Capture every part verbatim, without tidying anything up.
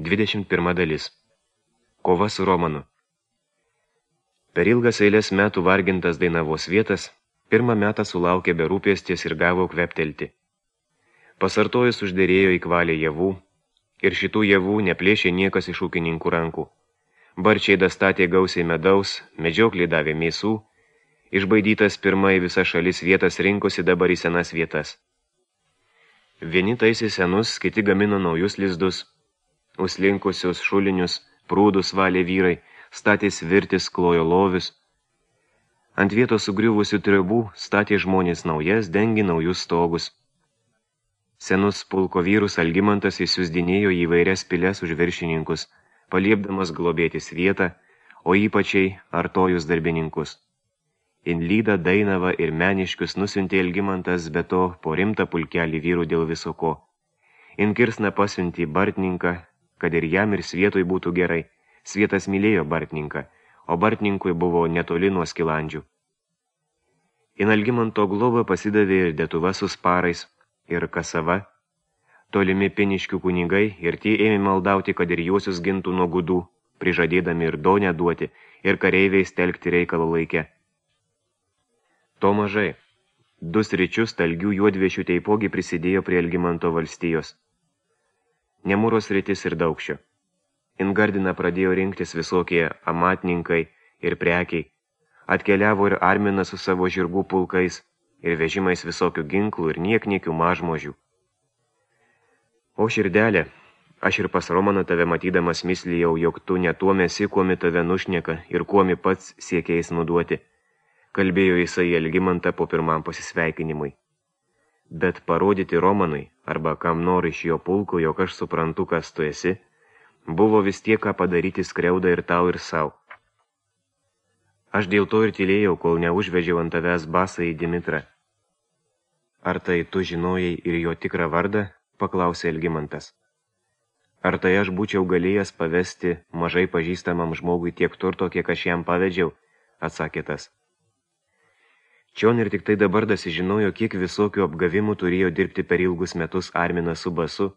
dvidešimt pirma dalis. Kova su Romanu. Per ilgas eilės metų vargintas Dainavos vietas, pirmą metą sulaukė berūpesties ir gavo kveptelti. Pasartojus uždėrėjo į kvalę javų, ir šitų javų neplėšė niekas iš ūkininkų rankų. Barčiai dastatė gausiai medaus, medžioklį davė mėsų, išbaidytas pirmai visa šalis vietas rinkosi dabar į senas vietas. Vieni taisė senus, kiti gamino naujus lizdus, užslinkusius šulinius, prūdus valė vyrai, statė svirtis, klojo lovius. Ant vietos sugriuvusių tribų statė žmonės naujas, dengi naujus stogus. Senus pulko vyrus Algimantas įsiusdinėjo į įvairias piles už viršininkus, paliepdamas globėtis vietą, o ypačiai artojus darbininkus. Inlydą, Dainavą ir Meniškius nusiuntė Algimantas, be to po rimtą pulkelį vyrų dėl viso ko. Inkirsną pasiuntė Bartninką, kad ir jam ir Svietui būtų gerai. Svietas mylėjo Bartninką, o Bartninkui buvo netoli nuo Skilandžių. In Algimanto globą pasidavė ir Detuva su Sparais, ir Kasava, tolimi Piniškių kunigai, ir tie ėmė maldauti, kad ir juosius gintų nuo gudų, prižadėdami ir donę duoti, ir kareiviais telkti reikalo laike. To mažai. Du sričius talgių juodviešių teipogi prisidėjo prie Algimanto valstijos. Nemūros sritis ir Daukščio. Ingardiną pradėjo rinktis visokie amatninkai ir prekiai. Atkeliavo ir Arminas su savo žirgų pulkais ir vežimais visokių ginklų ir niekniekių mažmožių. O širdelė, aš ir pas Romaną tave matydamas mislijau, jog tu ne tuo mesi, kuomi tave nušneka ir kuomi pats siekiais nuduoti, kalbėjo jisai Algimantą po pirmam pasisveikinimui. Bet parodyti Romanui, arba kam nori iš jo pulko, jog aš suprantu, kas tu esi, buvo vis tiek ką padaryti skriaudą ir tau ir sau. Aš dėl to ir tylėjau, kol neužvežiau ant tavęs basą į Dimitrą. Ar tai tu žinojai ir jo tikrą vardą? Paklausė Algimantas. Ar tai aš būčiau galėjęs pavesti mažai pažįstamam žmogui tiek turto, kiek aš jam pavedžiau? Atsakė tas. Čion ir tik tai dabar dasižinojo, kiek visokių apgavimų turėjo dirbti per ilgus metus Arminas su basu,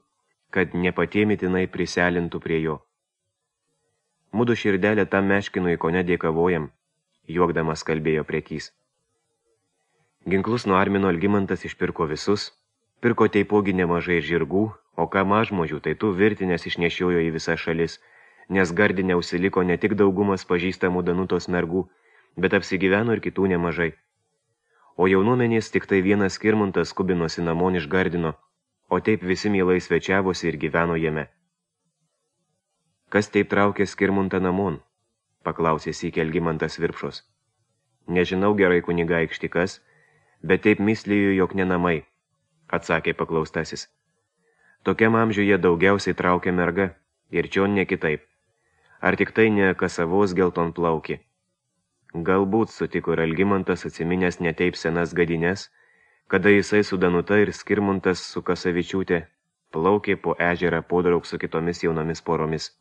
kad nepatėmitinai priselintų prie jo. Mudu širdelę tam meškinui kone dėkavojam, juokdamas kalbėjo prekys. Ginklus nuo Armino Algimantas išpirko visus, pirko teipogi nemažai žirgų, o ką mažmožių, tai tu virtinės išnešiojo į visas šalis, nes Gardine užsiliko ne tik daugumas pažįstamų Danutos mergų, bet apsigyveno ir kitų nemažai. O jaunuomenės tik tai vienas Skirmantas skubinosi namon iš Gardino, o taip visi mielai svečiavosi ir gyveno jame. Kas taip traukė Skirmantą namon? Paklausė sykį Algimantas Virpšos. Nežinau gerai kunigaikšti kas, bet taip misliju, jog ne namai, atsakė paklaustasis. Tokiam amžiuje daugiausiai traukia merga, ir čion ne kitaip. Ar tik tai ne Kasavos geltonplaukį? Galbūt sutiko ir Algimantas atsiminęs neteip senas gadines, kada jisai su Danuta ir Skirmantas su Kasavičiūtė plaukė po ežerą podraug su kitomis jaunomis poromis.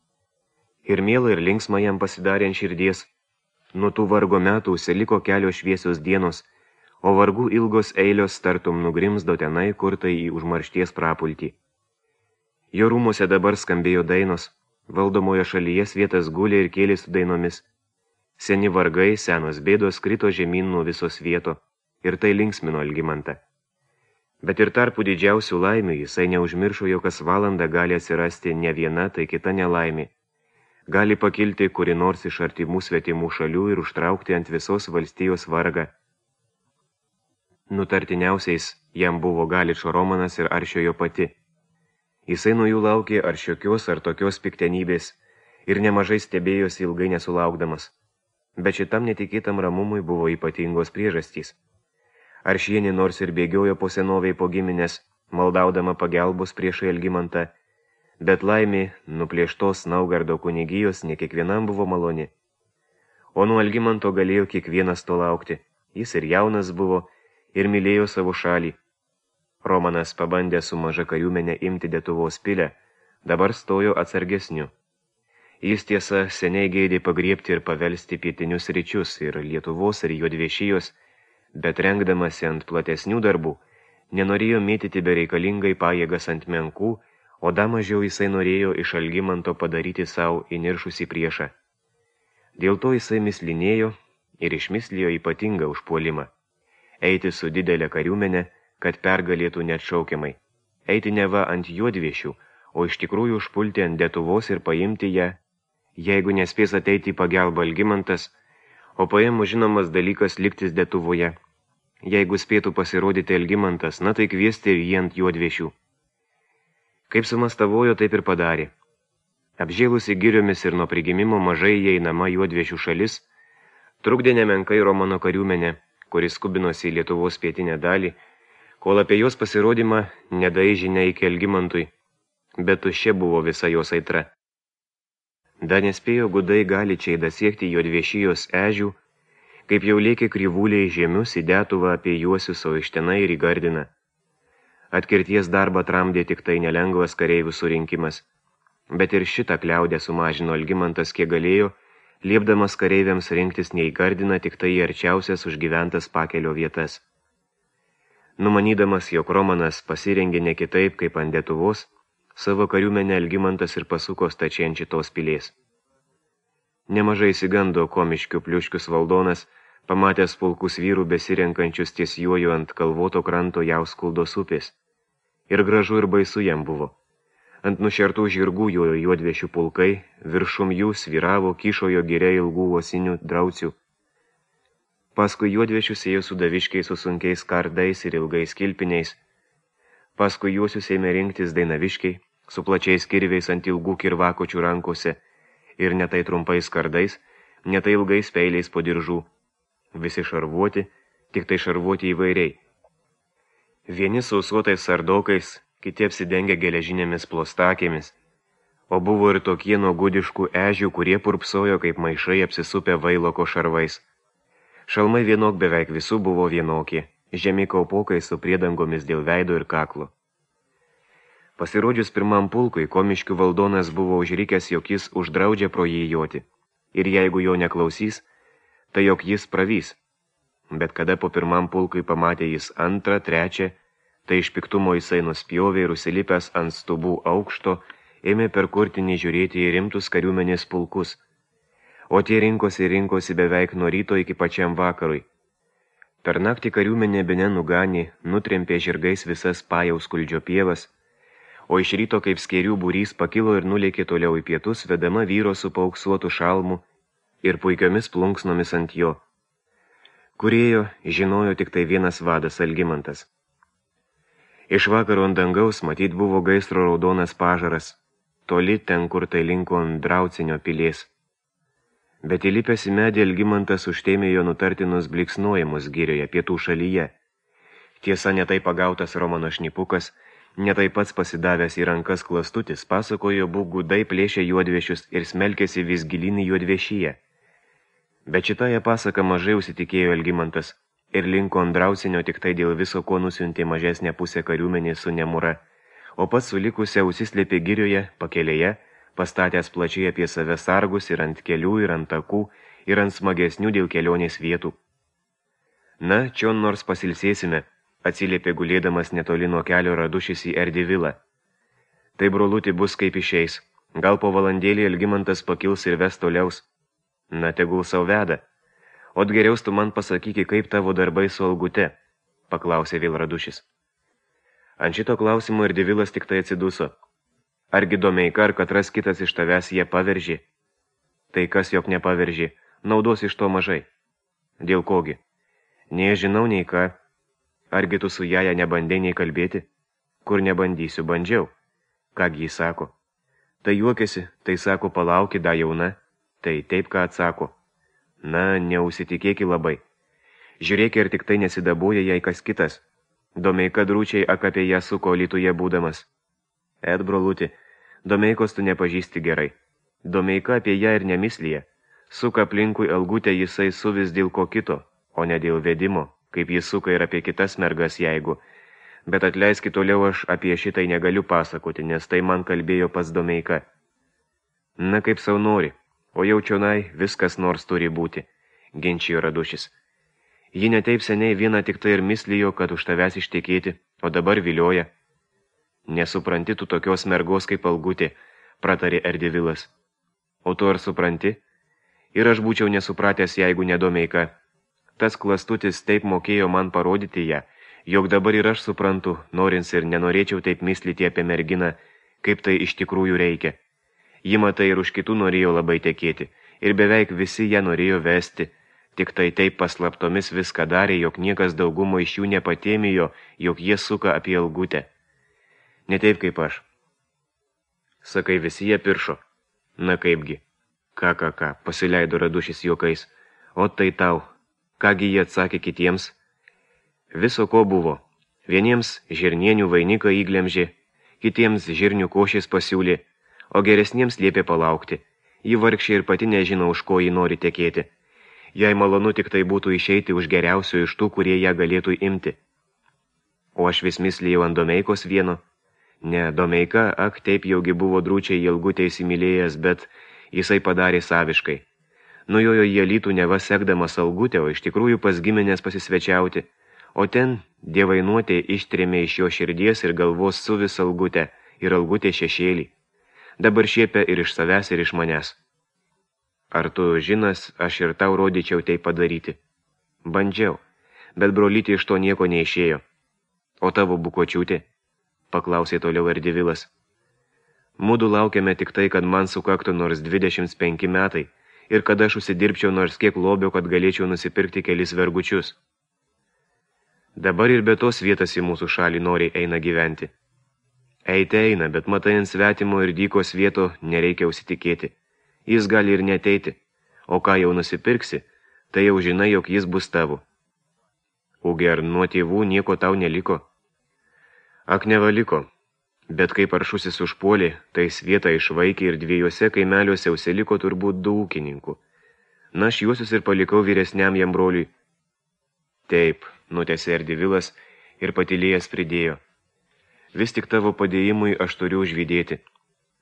Ir miela ir linksma jam pasidarė ant širdies. Nuo tų vargo metų užsiliko kelios šviesios dienos, o vargų ilgos eilios tartum nugrimzdo tenai, kur tai į užmaršties prapultį. Jo rūmuose dabar skambėjo dainos, valdomoje šalyje svietas gulė ir kėlė su dainomis. Seni vargai, senos bėdos krito žemyn nuo visos vieto, ir tai linksmino Algimantą. Bet ir tarpų didžiausių laimių jisai neužmiršo, jog kas valandą gali atsirasti ne viena, tai kita nelaimė. Gali pakilti kuri nors iš artimų svetimų šalių ir užtraukti ant visos valstijos vargą. Nutartiniausiais jam buvo Galičo Romanas ir Aršiojo pati. Jisai nuo jų laukė ar šiokios ar tokios piktenybės ir nemažai stebėjosi ilgai nesulaukdamas. Bet šitam netikėtam ramumui buvo ypatingos priežastys. Aršienė nors ir bėgiojo po senoviai po giminės, maldaudama pagelbos priešai Algimantą, bet laimė nuplėštos Naugardo kunigijos ne kiekvienam buvo maloni. O nuo Algimanto galėjo kiekvienas to laukti. Jis ir jaunas buvo ir mylėjo savo šalį. Romanas pabandė su maža kariuomenė imti Detuvos pilę, dabar stojo atsargesniu. Jis tiesa seniai geidė pagriebti ir pavelsti pietinius ryčius ir Lietuvos ir Juodviešijos, bet rengdamasi ant platesnių darbų, nenorėjo mėtyti bereikalingai pajėgas ant menkų, o dar mažiau jisai norėjo iš Algimanto padaryti savo įniršusį priešą. Dėl to jisai mislinėjo ir išmislijo ypatingą užpuolimą. Eiti su didelė kariuomenė, kad pergalėtų neatšaukiamai. Eiti neva ant juodviešių, o iš tikrųjų užpulti ant Lietuvos ir paimti ją, jeigu nespės ateiti į pagalbą Algimantas, o paėmų žinomas dalykas liktis Lietuvoje. Jeigu spėtų pasirodyti Algimantas, na tai kviesti ir jį ant juodviešių. Kaip sumastavojo, taip ir padarė. Apžėlusi giriomis ir nuo prigimimo mažai įeinama juodviešių šalis, trukdė nemenkai Romano kariuomenė, kuris skubinosi į Lietuvos pietinę dalį, kol apie jos pasirodymą nedai žinia iki Algimantui, bet tuščia buvo visa jos aitra. Dar nespėjo gudai galičiai dasiekti juodviešijos ežių, kaip jau lėkė kryvūliai žemius į Detuvą apie juosius, o iš tenai ir į Gardiną. Atkirties darbą tramdė tik tai nelengvas kareivių surinkimas, bet ir šitą kliaudę sumažino Algimantas kiek galėjo, liepdamas kareiviams rinktis ne į Gardiną, tik tai į arčiausias užgyventas pakelio vietas. Numanydamas, jog Romanas pasirengė ne kitaip kaip ant Lietuvos, savo kariuomenę Algimantas ir pasuko stačiai ant šitos pilies. Nemažai įsigando Komiškių pliuškius valdonas, pamatęs pulkus vyrų besirenkančius ties juoju ant kalvoto kranto Jauskuldos upės. Ir gražu ir baisu jam buvo. Ant nušertų žirgų jojo juodviešių pulkai, viršum jų sviravo kyšojo giria ilgų uosinių draucių. Paskui juodviešius ėjo sudaviškiai su sunkiais kardais ir ilgais kilpiniais. Paskui juosius ėmė rinktis dainaviškiai, su plačiais kirviais ant ilgų kirvakočių rankose ir netai trumpais kardais, netai ilgais peiliais po diržų. Visi šarvuoti, tik tai šarvuoti įvairiai. Vieni sausuotais sardokais, kiti apsidengę geležinėmis plostakėmis, o buvo ir tokie nuo gudiškų ežių, kurie purpsojo kaip maišai apsisupę vailoko šarvais. Šalmai vienok beveik visų buvo vienokie, žemi kaupokai su priedangomis dėl veido ir kaklo. Pasirodžius pirmam pulkui, Komiškių valdonas buvo užrikęs, jog jis uždraudžia pro jį joti, ir jeigu jo neklausys, tai jog jis pravys. Bet kada po pirmam pulkui pamatė jis antrą, trečią, tai iš piktumo jisai nuspjovė ir užsilipęs ant stubų aukšto, ėmė per kurtinį žiūrėti į rimtus kariuomenės pulkus, o tie rinkosi rinkosi beveik nuo ryto iki pačiam vakarui. Per naktį kariuomenė bene nuganė, nutrempė žirgais visas Pajauskuldžio pievas, o iš ryto kaip skėrių būrys pakilo ir nulėkė toliau į pietus, vedama vyro su paauksuotu šalmu ir puikiomis plunksnomis ant jo. Kurėjo žinojo tik tai vienas vadas Algimantas. Iš vakaro ant dangaus matyt buvo gaisro raudonas pažaras, toli ten, kur tai linko ant Draucinio pilies. Bet įlipęs į medį Algimantas užtėmė jo nutartinus bliksnojimus girioje pietų šalyje. Tiesa, netai pagautas Romano šnipukas, netai pats pasidavęs į rankas klastutis, pasakojo, būk gudai plėšė juodviešius ir smelkėsi vis gilin į juodviešyje. Bet šitąją pasaką mažai užsitikėjo Algimantas ir linko ant Draucinio tik tai dėl viso, ko nusiuntė mažesnę pusę kariuomenė su Nemura, o pats sulikusią užsislėpė girioje, pakelėje, pastatęs plačiai apie save sargus ir ant kelių, ir ant takų, ir ant smagesnių dėl kelionės vietų. Na, čion nors pasilsėsime, atsiliepė gulėdamas netoli nuo kelio Radušis į Erdivilą. Tai brolutį bus kaip išeis, gal po valandėlį Algimantas pakils ir ves toliaus. Na, tegul sau veda. Ot geriaus tu man pasakyki, kaip tavo darbai su Algute, paklausė vėl Radušis. Ant šito klausimo Erdivilas tik tai atsiduso. Argi Domeika ar katras kitas iš tavęs jie paveržė? Tai kas jog nepaveržė, naudos iš to mažai. Dėl kogi? Nei žinau, nei ką. Argi tu su jaja nebandei nei kalbėti? Kur nebandysiu, bandžiau. Kągi jis sako? Tai juokėsi, tai sako, palauki, da jauna. Tai taip, ką atsako. Na, neusitikėki labai. Žiūrėk, ir tik tai nesidabuoja jai kas kitas. Domeika drūčiai ak apie ją suko Alytuje būdamas. Et, broluti, Domeikos tu nepažįsti gerai. Domeika apie ją ir nemislyje. Suka aplinkui Algutę jisai suvis dėl ko kito, o ne dėl vedimo, kaip jis suka ir apie kitas mergas jeigu. Bet atleiski toliau, aš apie šitai negaliu pasakoti, nes tai man kalbėjo pas Domeika. Na, kaip sau nori, o jau čionai viskas nors turi būti, ginčijo Radušis. Ji netaip seniai vieną tik tai ir mislijo, kad už tavęs ištekėti, o dabar vilioja. Nesupranti tu tokios mergos kaip Algutė, pratarė Erdevilas. O tu ar supranti? Ir aš būčiau nesupratęs, jeigu ne Domeika. Tas klastutis taip mokėjo man parodyti ją, jog dabar ir aš suprantu, norins ir nenorėčiau taip myslyti apie merginą, kaip tai iš tikrųjų reikia. Ji matai ir už kitų norėjo labai tekėti, ir beveik visi ją norėjo vesti, tik tai taip paslaptomis viską darė, jog niekas daugumo iš jų nepatėmijo, jog jie suka apie Algutę. Ne taip kaip aš. Sakai, visi jie piršo. Na kaipgi. Ką, ką, ką, pasileido Radušis juokais. O tai tau. Kągi jie atsakė kitiems? Viso ko buvo. Vieniems žirnienių vainiką įglemžė, kitiems žirnių košės pasiūlė, o geresniems liepė palaukti. Ji vargšė ir pati nežino, už ko ji nori tekėti. Jai malonu tik tai būtų išeiti už geriausių iš tų, kurie ją galėtų imti. O aš vis mislėjau ant Domeikos vieno. Ne, Domeika, ak, taip jaugi buvo drūčiai į Algutę įsimylėjęs, bet jisai padarė saviškai. Nujojo į Alytų neva sekdamas Algutę, o iš tikrųjų pas giminės pasisvečiauti, o ten dievainuotė ištrėmė iš jo širdies ir galvos su vis Algutę ir Algutė šešėlį. Dabar šiepia ir iš savęs, ir iš manęs. Ar tu žinas, aš ir tau rodyčiau tai padaryti? Bandžiau, bet brolytė iš to nieko neišėjo. O tavo bukočiūtė? Paklausė toliau Erdevilas. Mudu laukiame tik tai, kad man sukaktų nors dvidešimt penki metai ir kad aš užsidirbčiau nors kiek lobio, kad galėčiau nusipirkti kelis vergučius. Dabar ir be tos vietas į mūsų šalį noriai eina gyventi. Eite eina, bet matai ant svetimo ir dykos vieto nereikia užsitikėti. Jis gali ir neteiti, o ką jau nusipirksi, tai jau žinai, jog jis bus tavo. Ugi ar nuo tėvų nieko tau neliko? Ak, nevaliko, bet kai paršusis užpuolė, tai svietą išvaikė ir dviejose kaimeliuose užsiliko turbūt du ūkininkų. Na, aš juosius ir palikau vyresniam jam broliui. Taip, nutęsė Erdevilas ir patylėjęs pridėjo. Vis tik tavo padėjimui aš turiu užvydėti.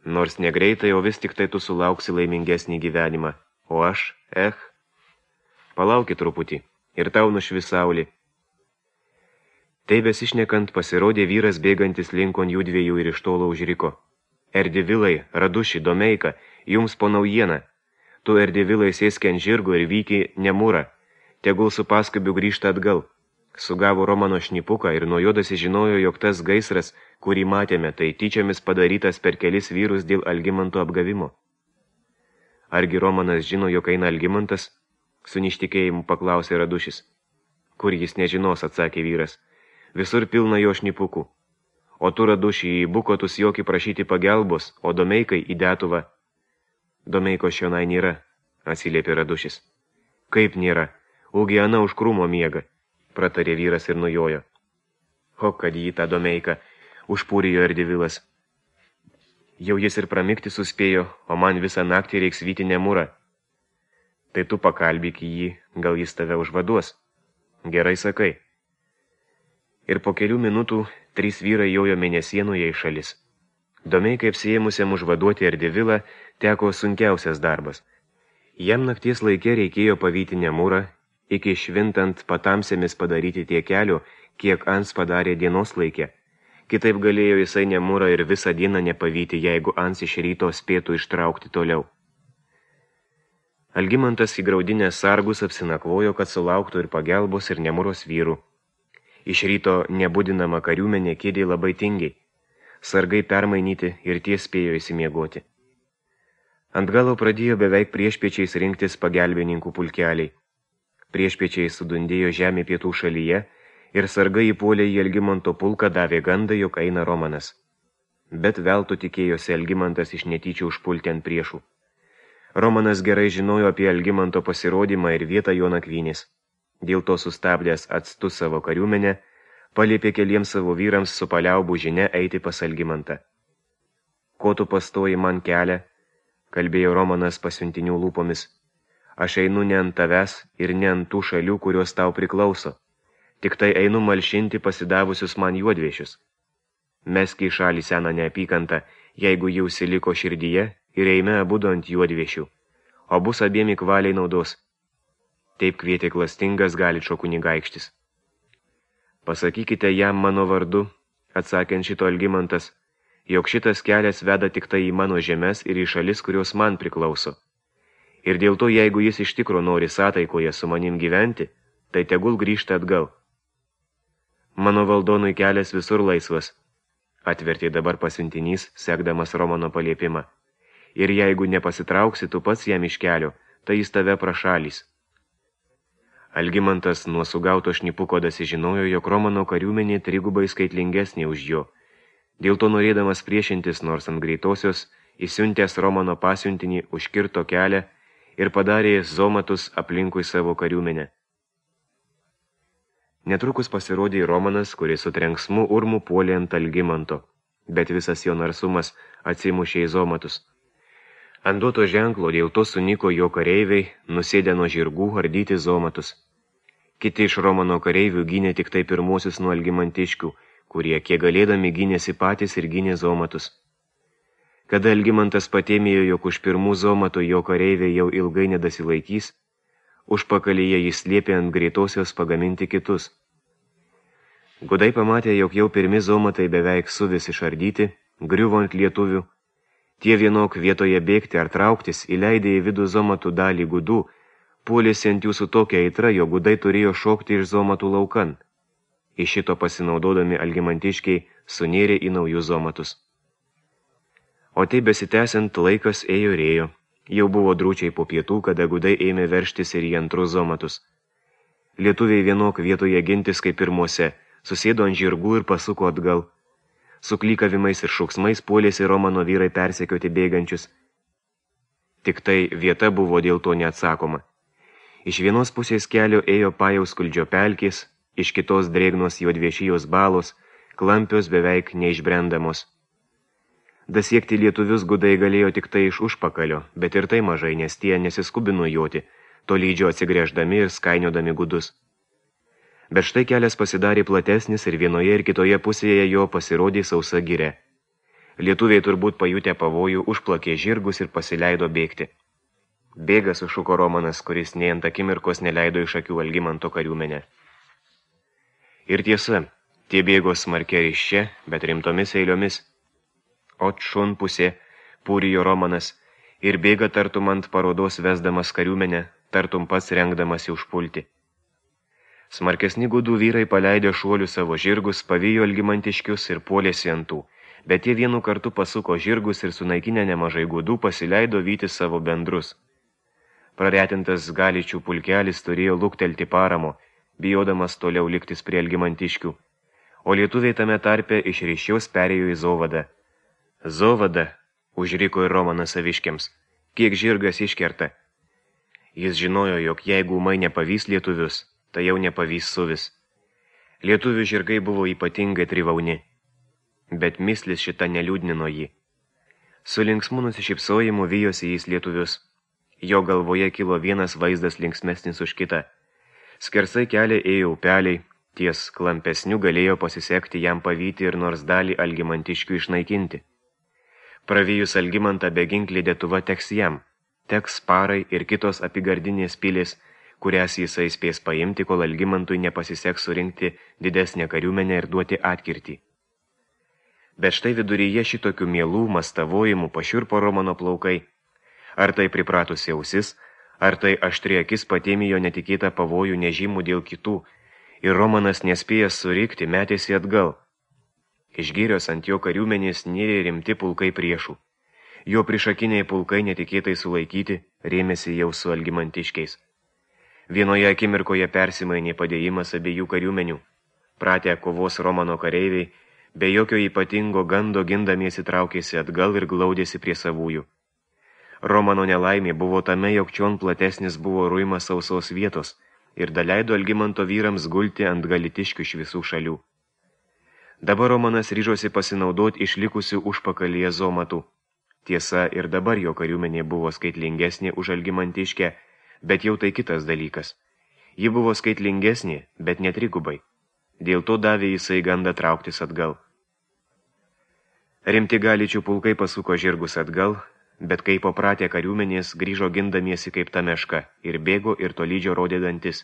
Nors negreitai, o vis tik tai tu sulauksi laimingesnį gyvenimą. O aš, eh, palauki truputį ir tau nušvis saulė. Tai besišnekant pasirodė vyras bėgantis linkon jų dviejų ir iš tolo užriko. Erdevilai, Raduši, Domeika, jums po naujieną. Tu Erdevilai sėski ant žirgo ir vyki Nemūrą. Tegul su paskubiu grįžta atgal. Sugavo Romano šnipuką ir nuo jodasi žinojo, jog tas gaisras, kurį matėme, tai tyčiamis padarytas per kelis vyrus dėl Algimanto apgavimo. Argi Romanas žino, jog eina Algimantas? Su ništikėjimu paklausė Radušis. Kur jis nežinos, atsakė vyras. Visur pilna jo šnipukų. O tu, Raduši, į bukotus jokį prašyti pagelbos, o Domeikai į Detuvą. Domeiko šionai nėra, atsiliepė Radušis. Kaip nėra? Ugi ana už krūmo miega, pratarė vyras ir nujojo. O kad jį tą Domeiką, užpūrijo Erdevilas. Jau jis ir pramikti suspėjo, o man visą naktį reiks vyti Nemūrą. Tai tu pakalbėk jį, gal jis tave užvaduos. Gerai sakai. Ir po kelių minutų trys vyrai jojo mėnesienoje į šalis. Domeikai apsiėmusiam užvaduoti Erdevilą teko sunkiausias darbas. Jam nakties laikė reikėjo pavyti Nemūrą, iki švintant patamsėmis padaryti tiek kelio, kiek Ans padarė dienos laikė. Kitaip galėjo jisai Nemūrą ir visą dieną nepavyti, jeigu Ans iš ryto spėtų ištraukti toliau. Algimantas įgraudinęs sargus apsinakvojo, kad sulauktų ir pagelbos ir Nemūros vyrų. Iš ryto nebudinama kariuomenė kėdė labai tingiai. Sargai permainyti ir tie spėjo įsimiegoti. Ant galo pradėjo beveik priešpiečiais rinktis pagelbininkų pulkeliai. Priešpiečiai sudundėjo žemė pietų šalyje ir sargai įpuolė į Algimanto pulką davė gandą, jog eina Romanas. Bet veltui tikėjosi Algimantas iš netyčių užpulti ant priešų. Romanas gerai žinojo apie Algimanto pasirodymą ir vietą jo nakvynės. Dėl to sustabdęs atstu savo kariuomenę, paliepė keliems savo vyrams su paliaubų žinia eiti pas Algimantą. Ko tu pastoji man kelią, kalbėjo Romanas pasiuntinių lūpomis. Aš einu ne ant tavęs ir ne ant tų šalių, kurios tau priklauso. Tik tai einu malšinti pasidavusius man juodviešius. Meski į šalį seną neapykantą, jeigu jau siliko širdyje ir eime abudu ant juodviešių, o bus abiem įkvaliai naudos. Taip kvietė klastingas Galičo kunigaikštis. Pasakykite jam mano vardu, atsakant šito Algimantas, jog šitas kelias veda tik tai į mano žemes ir į šalis, kurios man priklauso. Ir dėl to, jeigu jis iš tikro nori sątaikoje su manim gyventi, tai tegul grįžta atgal. Mano valdonui kelias visur laisvas, atvertė dabar pasiuntinys, sekdamas Romano paliepimą. Ir jeigu nepasitrauksi tu pats jam iš kelio, tai jis tave prašalys. Algimantas nuo sugauto šnipuko dasižinojo, jog Romano kariuomenė trigubai skaitlingesnė už jo. Dėl to norėdamas priešintis nors ant greitosios, įsiuntęs Romano pasiuntinį užkirto kelią ir padarė zomatus aplinkui savo kariuomenę. Netrukus pasirodė Romanas, kuris su trenksmu urmu puolė ant Algimanto, bet visas jo narsumas atsimušė į zomatus. Ant duoto ženklo dėl to suniko jo kareiviai, nusėdę nuo žirgų ardyti zomatus. Kiti iš Romano kareivių gynė tik tai pirmuosius nuo algimantiškių, kurie kiek galėdami gynėsi patys ir gynė zomatus. Kada Algimantas patėmėjo, jog už pirmų zomatų jo kareiviai jau ilgai nedasilaikys, užpakalyje jis liepė ant greitosios pagaminti kitus. Gudai pamatė, jog jau pirmi zomatai beveik suvis išardyti, griuvo ant lietuvių. Tie vienok vietoje bėgti ar trauktis įleidė į vidų zomatų dalį gudų, puolėsi ant jų su tokia aitra, jo gudai turėjo šokti iš zomatų laukan. Iš šito pasinaudodami algimantiškiai sunėrė į naujus zomatus. O tai besitęsiant laikas ėjo ir ėjo. Jau buvo drūčiai po pietų, kada gudai ėmė verštis ir į antrus zomatus. Lietuviai vienok vietoje gintis kaip pirmuose, susėdo ant žirgų ir pasuko atgal. Su klykavimais ir šauksmais puolėsi Romano vyrai persekioti bėgančius. Tik tai vieta buvo dėl to neatsakoma. Iš vienos pusės kelio ėjo Pajauskaldžio pelkės, iš kitos drėgnos juodviešijos balos, klampios beveik neišbrendamos. Dasiekti lietuvius gudai galėjo tik tai iš užpakalio, bet ir tai mažai, nes tie nesiskubino joti, tolydžio atsigręždami ir skainiodami gudus. Bet štai kelias pasidarė platesnis ir vienoje ir kitoje pusėje jo pasirodė sausa giria. Lietuviai turbūt pajutę pavojų užplakė žirgus ir pasileido bėgti. Bėga sušuko Romanas, kuris nei ant akimirkos neleido iš akių Algimanto kariuomenę. Ir tiesa, tie bėgo smarkia ryščia, bet rimtomis eiliomis. Ot šun pusė, pūrijo Romanas, ir bėga tartum ant parodos vesdamas kariuomenę, tartum pats rengdamasi užpulti. Smarkesni gudų vyrai paleidė šuolių savo žirgus, pavijo algimantiškius ir puolėsi ant tų, bet jie vienu kartu pasuko žirgus ir sunaikinę nemažai gudų pasileido vyti savo bendrus. Praretintas Galičių pulkelis turėjo luktelti paramo, bijodamas toliau liktis prie algimantiškių, o lietuviai tame tarpe iš ryšiaus perėjo į Zovadą. Zovada, užriko ir Romanas saviškiams, kiek žirgas iškerta. Jis žinojo, jog jeigu ūmai nepavys lietuvius, tai jau nepavys suvis. Lietuvių žirgai buvo ypatingai trivauni, bet mislis šita neliūdnino jį. Su linksmu nusišypsojimu vijosi jis lietuvius. Jo galvoje kilo vienas vaizdas linksmesnis už kitą. Skersai kelią ėjo upeliai, ties klampesnių galėjo pasisekti jam pavyti ir nors dalį algimantiškių išnaikinti. Pravijus Algimantą beginklį dėtuva teks jam, teks Sparai ir kitos apigardinės pilės, kurias jisai spės paimti, kol Algimantui nepasiseks surinkti didesnę kariuomenę ir duoti atkirtį. Bet štai viduryje šitokių mielų mastavojimų pašiurpo Romano plaukai. Ar tai pripratusi ausis, ar tai aštri akis patėmijo netikėtą pavojų nežymų dėl kitų, ir Romanas nespėjęs surikti metėsi atgal. Iš girios ant jo kariuomenės nėrė rimti pulkai priešų. Jo prišakiniai pulkai netikėtai sulaikyti rėmėsi jau su algimantiškiais. Vienoje akimirkoje persimainė padėjimas abiejų kariuomenių. Pratę kovos Romano kareiviai, be jokio ypatingo gando gindamiesi traukėsi atgal ir glaudėsi prie savųjų. Romano nelaimė buvo tame, jog čion platesnis buvo ruimas sausos vietos ir daleido Algimanto vyrams gulti ant galitiškių iš visų šalių. Dabar Romanas ryžosi pasinaudoti išlikusių užpakalyje zomatų. Tiesa, ir dabar jo kariuomenė buvo skaitlingesnė už algimantiškę, bet jau tai kitas dalykas. Ji buvo skaitlingesnė, bet netrigubai. Dėl to davė jisai gandą trauktis atgal. Rimti Galičių pulkai pasuko žirgus atgal, bet kai papratę kariuomenės grįžo gindamiesi kaip ta meška ir bėgo ir tolydžio rodė dantis.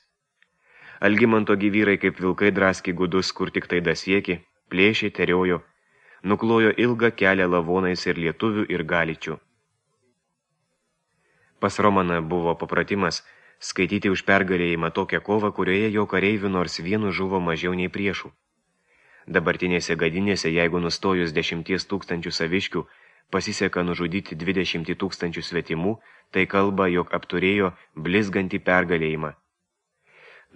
Algimanto gyvyrai kaip vilkai draskė gudus, kur tik tai dasiekė, plėšė, teriojo. nuklojo ilgą kelią lavonais ir lietuvių ir galičių. Pas Romaną buvo papratimas skaityti už pergalėjimą tokią kovą, kurioje jo kareivių nors vienu žuvo mažiau nei priešų. Dabartinėse gadinėse, jeigu nustojus dešimties tūkstančių saviškių, pasiseka nužudyti dvidešimtį tūkstančių svetimų, tai kalba, jog apturėjo blizgantį pergalėjimą.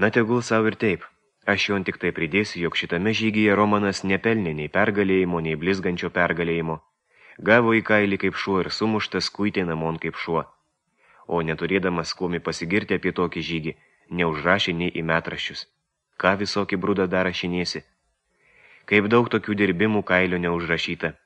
Na tegul savo ir taip, aš jo tik tai pridėsiu, jog šitame žygyje Romanas nepelnė nei pergalėjimo, nei blizgančio pergalėjimo. Gavo į kailį kaip šuo ir sumuštas kuitė namon kaip šuo. O neturėdamas kuomi pasigirti apie tokį žygį, neužrašė nei į metraščius. Ką visokį brudą dar rašinėsi? Kaip daug tokių dirbimų kailio neužrašyta.